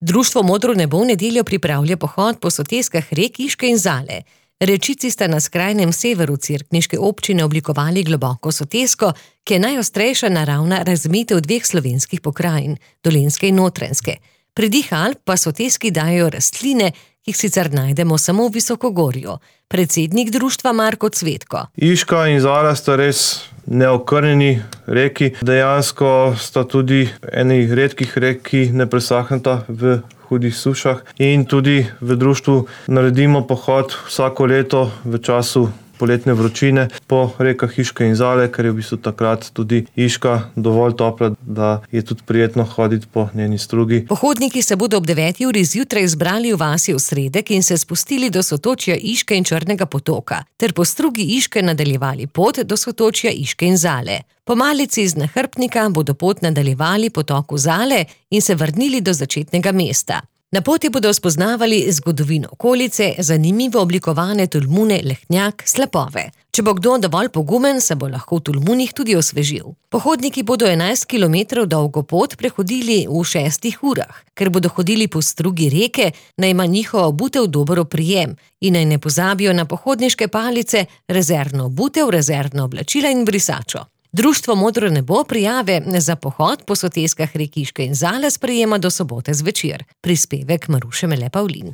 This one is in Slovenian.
Društvo Modro nebo v nedeljo pripravlja pohod po soteskah rek Iške in Zale. Rečici sta na skrajnem severu cerkniške občine oblikovali globoko sotesko, ki je najostrejša naravna razmejitev dveh slovenskih pokrajin, Dolenjske in Notranjske. Pridih Alp pa soteski dajo rastline, ki jih sicer najdemo samo v visokogorju. Predsednik društva Marko Cvetko. Iška in Zala sta res neokrnjeni reki. Dejansko sta tudi eni redkih rek, ki ne presahneta v hudih sušah. In tudi v društvu naredimo pohod vsako leto v času poletne vročine po rekah Iške in Zale, ker je v bistvu takrat tudi Iška dovolj topla, da je tudi prijetno hoditi po njeni strugi. Pohodniki se bodo ob 9. uri zjutraj zbrali v vasi Osredek in se spustili do sotočja Iške in Črnega potoka, ter po strugi Iške nadaljevali pot do sotočja Iške in Zale. Po malici iz nahrbtnika bodo pot nadaljevali po toku Zale in se vrnili do začetnega mesta. Na poti bodo spoznavali zgodovino okolice, zanimivo oblikovane tolmune, lehnjak, slapove. Če bo kdo dovolj pogumen, se bo lahko v tolmunih tudi osvežil. Pohodniki bodo 11 kilometrov dolgo pot prehodili v 6 urah. Ker bodo hodili po strugi reke, naj ima njihova obutev dober oprijem in naj ne pozabijo na pohodniške palice, rezervno obutev, rezervna oblačila in brisačo. Društvo Modro nebo prijave za pohod po soteskah rek Iške in Zale sprejema do sobote zvečer. Prispevek Maruše Mele Pavlin.